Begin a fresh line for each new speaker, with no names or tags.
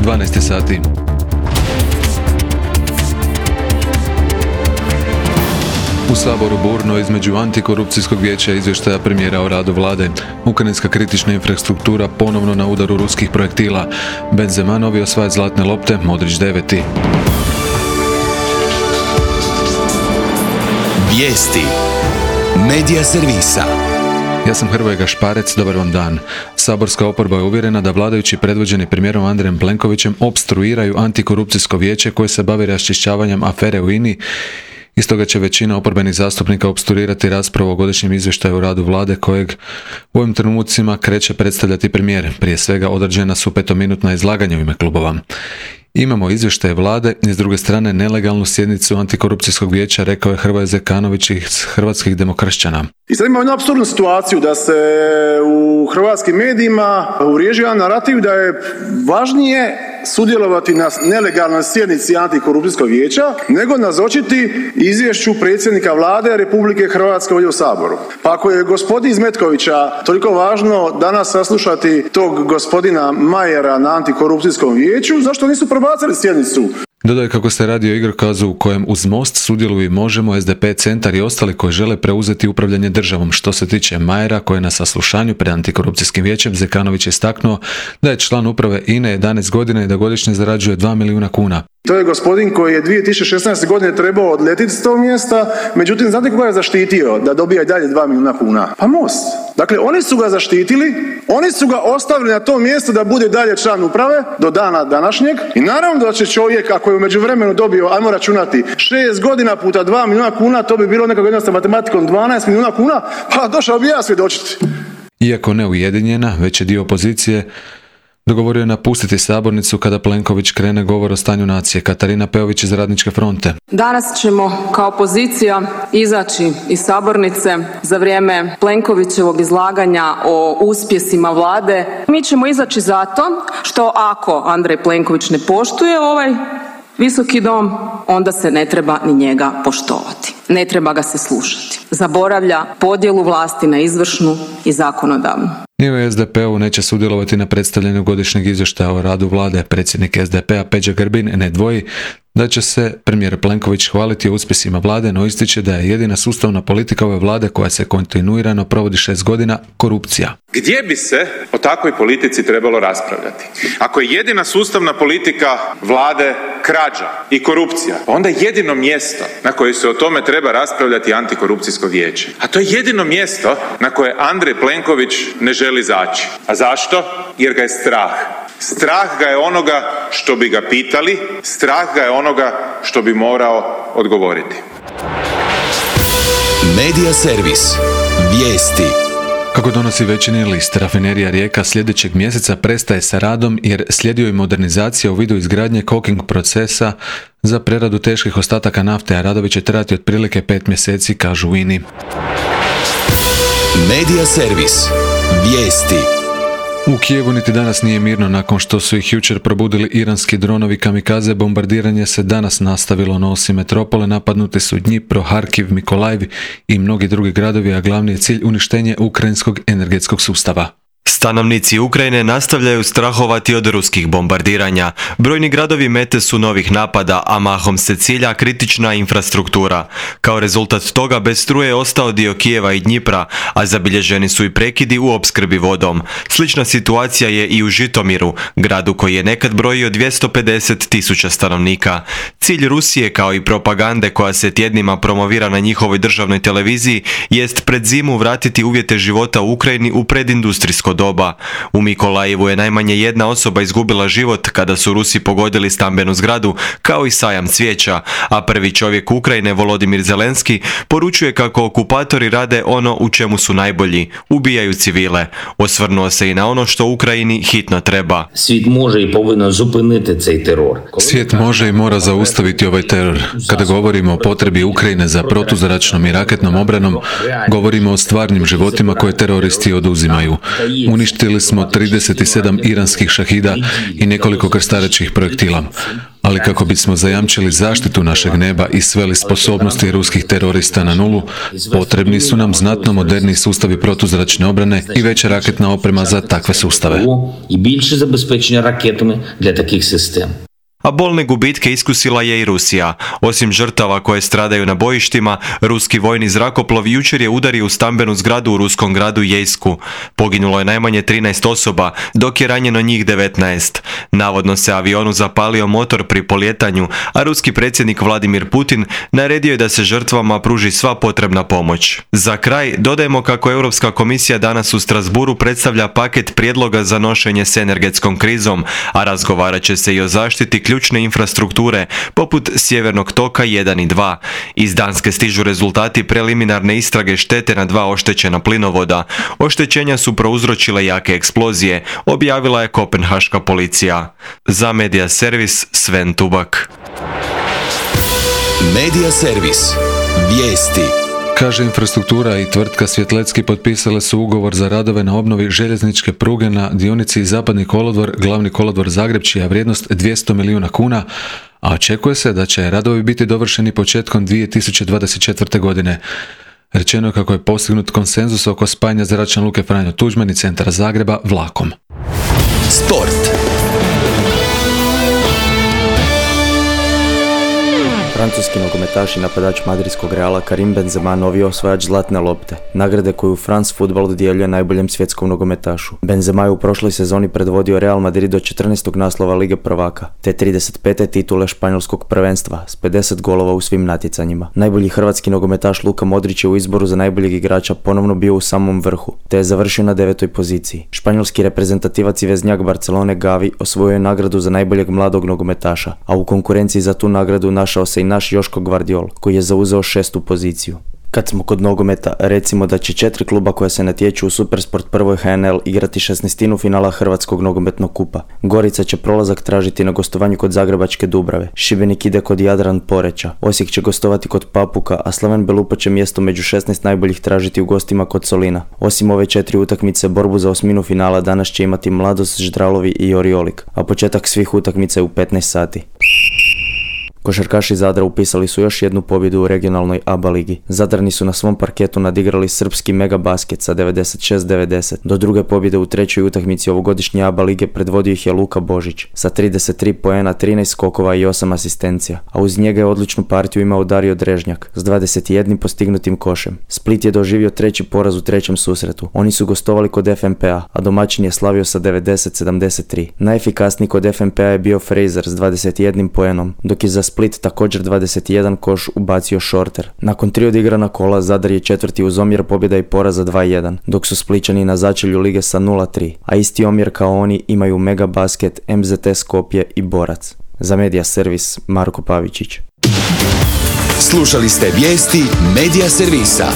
12 sati. U Saboru burno između antikorupcijskog vijeća i izvještaja premijera o radu vlade. Ukrajinska kritična infrastruktura ponovno na udaru ruskih projektila. Benzema novi osvajač zlatne lopte, Modrić 9.
Vijesti Medija servisa.
Ja sam Hrvoje Gašparec, dobar vam dan. Saborska oporba je uvjerena da vladajući predvođeni premijerom Andrejem Plenkovićem opstruiraju antikorupcijsko vijeće koje se bavi raščišćavanjem afere u INA-i. Iz toga će većina oporbenih zastupnika opstruirati raspravu o godišnjem izvještaju o radu vlade kojeg u ovim trenucima kreće predstavljati premijer. Prije svega određena su 5-minutna izlaganja u ime klubova. Imamo izvještaje vlade i s druge strane nelegalnu sjednicu antikorupcijskog vijeća, rekao je Hrvoje Zekanović iz Hrvatskih demokršćana.
I sad imamo jednu apsurdnu situaciju da se u hrvatskim medijima uvriježi jedan narativ da je važnije sudjelovati na nelegalnoj sjednici antikorupcijskog vijeća nego nazočiti izvješću predsjednika vlade Republike Hrvatske ovdje u Saboru. Pa ako je gospodin iz Metkovića toliko važno danas saslušati tog gospodina Majera na antikorupcijskom vijeću, zašto nisu prebacili sjednicu?
Dodaje kako se radi o igrokazu u kojem uz Most sudjeluju i Možemo, SDP, Centar i ostali koji žele preuzeti upravljanje državom. Što se tiče Majera, koji je na saslušanju pred antikorupcijskim vijećem, Zekanović je istaknuo da je član uprave INA 11 godina i da godišnje zarađuje 2 milijuna kuna.
To je gospodin koji je 2016. godine trebao odletiti s tog mjesta, međutim, znate koga je zaštitio da dobija i dalje 2 milijuna kuna? Pa Most. Dakle, oni su ga zaštitili, oni su ga ostavili na tom mjestu da bude dalje član uprave do dana današnjeg i naravno da će čovjek, ako je u međuvremenu dobio, ajmo računati, 6 godina puta 2 milijuna kuna, to bi bilo nekog jednostavnom matematikom 12 milijuna kuna, pa došao bi ja svjedočiti.
Iako ne ujedinjena, već je dio opozicije dogovorio je napustiti sabornicu kada Plenković krene govor o stanju nacije. Katarina Peović iz Radničke fronte.
Danas ćemo kao opozicija izaći iz sabornice za vrijeme Plenkovićevog izlaganja o uspjesima vlade. Mi ćemo izaći zato što ako Andrej Plenković ne poštuje ovaj Visoki dom, onda se ne treba ni njega poštovati. Ne treba ga se slušati. Zaboravlja podjelu vlasti na izvršnu i zakonodavnu.
Ni u SDP-u neće sudjelovati na predstavljanju godišnjeg izvještaja o radu vlade. Predsjednik SDP-a Peđa Grbin ne dvoji da će se premijer Plenković hvaliti o uspjesima vlade, no ističe da je jedina sustavna politika ove vlade koja se kontinuirano provodi 6 godina korupcija.
Gdje bi se o takvoj politici trebalo raspravljati? Ako je jedina sustavna politika vlade krađa i korupcija, onda jedino mjesto na koje se o tome treba raspravljati antikorupcijsko vijeće. A to je jedino mjesto na koje Andrej Plenković ne želi zaći. A zašto? Jer ga je strah. Strah ga je onoga što bi ga pitali, strah ga je onoga što bi morao odgovoriti.
Medija servis. Vijesti.
Kako donosi Večernji list, rafinerija Rijeka sljedećeg mjeseca prestaje sa radom jer slijedio je modernizacija u vidu izgradnje coking procesa za preradu teških ostataka nafte, a radovi će trajati otprilike 5 mjeseci, kažu u INA-i.
Medija servis. Vijesti.
U Kijevu niti danas nije mirno nakon što su ih jučer probudili iranski dronovi kamikaze. Bombardiranje se danas nastavilo, no osim metropole napadnuti su Dnipro, Harkiv, Mikolajv i mnogi drugi gradovi, a glavni je cilj uništenje ukrajinskog energetskog sustava.
Stanovnici Ukrajine nastavljaju strahovati od ruskih bombardiranja. Brojni gradovi mete su novih napada, a mahom se cilja kritična infrastruktura. Kao rezultat toga bez struje je ostao dio Kijeva i Dnjipra, a zabilježeni su i prekidi u opskrbi vodom. Slična situacija je i u Žitomiru, gradu koji je nekad brojio 250.000 stanovnika. Cilj Rusije, kao i propagande koja se tjednima promovira na njihovoj državnoj televiziji, jest pred zimu vratiti uvjete života u Ukrajini u predindustrijsko doba. U Mikolajevu je najmanje jedna osoba izgubila život kada su Rusi pogodili stambenu zgradu, kao i sajam cvijeća, a prvi čovjek Ukrajine, Volodimir Zelenski, poručuje kako okupatori rade ono u čemu su najbolji, ubijaju civile. Osvrnuo se i na ono što Ukrajini hitno treba.
Svijet može i повинен zupiniti цей teror.
Svijet može i mora zaustaviti ovaj teror. Kada govorimo o potrebi Ukrajine za protuzračnom i raketnom obranom, govorimo o stvarnim životima koje teroristi oduzimaju. Uništili smo 37 iranskih šahida i nekoliko krstarećih projektila. Ali kako bismo zajamčili zaštitu našeg neba i sveli sposobnosti ruskih terorista na nulu, potrebni su nam znatno moderniji sustavi protuzračne obrane i veća raketna oprema za takve sustave.
I більше забезпечення ракетами для таких систем.
A bolne gubitke iskusila je i Rusija. Osim žrtava koje stradaju na bojištima, ruski vojni zrakoplov jučer je udario u stambenu zgradu u ruskom gradu Jejsku. Poginulo je najmanje 13 osoba, dok je ranjeno njih 19. Navodno se avionu zapalio motor pri poljetanju, a ruski predsjednik Vladimir Putin naredio je da se žrtvama pruži sva potrebna pomoć. Za kraj, dodajemo kako Europska komisija danas u Strasburu predstavlja paket prijedloga za nošenje s energetskom krizom, a razgovarat će se i o zaštiti ključne infrastrukture, poput Sjevernog toka 1 i 2. Iz Danske stižu rezultati preliminarne istrage štete na 2 oštećena plinovoda. Oštećenja su prouzročile jake eksplozije, objavila je kopenhaška policija. Za Media Servis, Sven Tubak.
Media Servis. Vijesti.
Kaže Infrastruktura i tvrtka Svjetlecki potpisale su ugovor za radove na obnovi željezničke pruge na dionici Zapadni kolodvor, Glavni kolodvor Zagreb, čija vrijednost 200 milijuna kuna, a očekuje se da će radovi biti dovršeni početkom 2024. godine. Rečeno je kako je postignut konsenzus oko spajanja zračne luke Franjo Tuđman i centra Zagreba vlakom.
Sport.
Francuski nogometaš i napadač madridskog Reala Karim Benzema novi osvajač zlatne lopte, nagrade koju France Football dodjeljuje najboljem svjetskom nogometašu. Benzema je u prošloj sezoni predvodio Real Madrid do 14. naslova Lige prvaka, te 35. titule španjolskog prvenstva s 50 golova u svim natjecanjima. Najbolji hrvatski nogometaš Luka Modrić je u izboru za najboljeg igrača ponovno bio u samom vrhu, te je završio na 9. poziciji. Španjolski reprezentativac i veznjak Barcelone Gavi osvojio je nagradu za najboljeg mladog nogometaša, a u konkurenciji za tu nagradu našao se i naš Joško Gvardiol, koji je zauzeo 6. poziciju. Kad smo kod nogometa, recimo da će 4 kluba koja se natječu u Supersport prvoj HNL igrati 16. finala Hrvatskog nogometnog kupa. Gorica će prolazak tražiti na gostovanju kod Zagrebačke Dubrave, Šibenik ide kod Jadran Poreča, Osijek će gostovati kod Papuka, a Slaven Belupo će mjesto među 16 najboljih tražiti u gostima kod Solina. Osim ove 4 utakmice, borbu za osminu finala danas će imati Mladost, Ždralovi i Oriolik, a početak svih utakmica je u 15 sati. Košarkaši Zadra upisali su još jednu pobjedu u regionalnoj ABA ligi. Zadrani su na svom parketu nadigrali srpski Mega Basket sa 96-90. Do druge pobjede u trećoj utakmici ovogodišnje ABA lige predvodio ih je Luka Božić sa 33 poena, 13 skokova i 8 asistencija, a uz njega je odličnu partiju imao Dario Drežnjak s 21 postignutim košem. Split je doživio treći poraz u trećem susretu. Oni su gostovali kod FNP-a, a domaćin je slavio sa 90-73. Najefikasniji kod FNP-a je bio Fraser s 21 poenom, dok je za Split također 21 koš ubacio Shorter. Nakon 3 odigrana kola Zadar je četvrti uz omjer pobjeda i poraza 2-1, dok su Splićani na začelju lige sa 0-3, a isti omjer kao oni imaju Mega Basket, MZT Skopje i Borac. Za Media Servis, Marko Pavičić.
Slušali ste vijesti Media Servisa.